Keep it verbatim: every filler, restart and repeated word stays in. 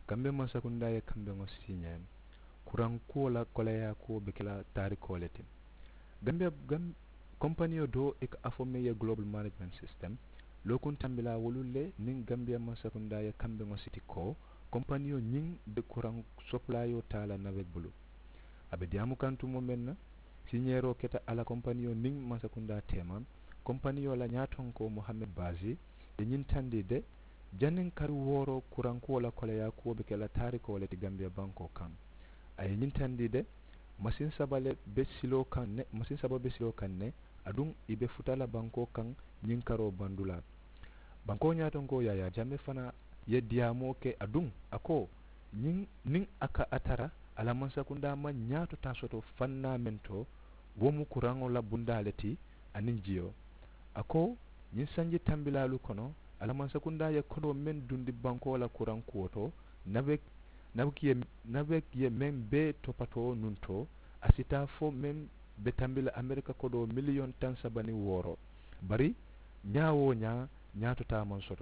Gambiya mansakundaa ye kambeŋo siiñaa kuraŋ kuwo la koleyaa kuwo be ke la taarikoo le ti. Gambiya kompaniyo doo i ka a fo meŋ ye global management system, lookuŋ tambilaa wolu le niŋ gambiya mansakundaa ye kambeŋo siti ko kompaniyo ñiŋ be kuraŋ sopulaayoo taa la nabek bulu. A be diyaamu kaŋ tumoo meŋ na, siiñeeroo keta a la kompaniyo niŋ mansakundaa teema. Kompaniyo la ñaatonkoo mohammed baasi ye ñiŋ tandi de, janniŋ kari wooro kuraŋ kuwo la koleyaa kuwo be ke la taarikoo le ti gambiya bankoo kaŋ. A ye ñiŋ tandi de, masiŋ saba le be siloo kaŋ ne masiŋ saba be siloo kaŋ ne, aduŋ i be futa la bankoo kaŋ ñiŋ karoo bandulaa. Bankoo ñaatonkoo yaayaa jamme fanaa ye diyaamoo ke aduŋ a ko, ñiŋ niŋ a ka a tara a la mansakundaa maŋ ñaato taa soto fannaa meŋ to, wo mu kuraŋo la bundaa le ti aniŋ jiyo. A ko, ñiŋ sanji tambilaalu kono a la mansakundaa ye kodoo meŋ dundi bankoo la kuraŋ kuwo to, nabek nabek ye meŋ bee topatoo nuŋ to, a si taa fo meŋ be tambi la amerika kodoo miliyoŋ taŋ saba niŋ wooro. Bari ñaa woo ñaa, ñaato taa maŋ soto.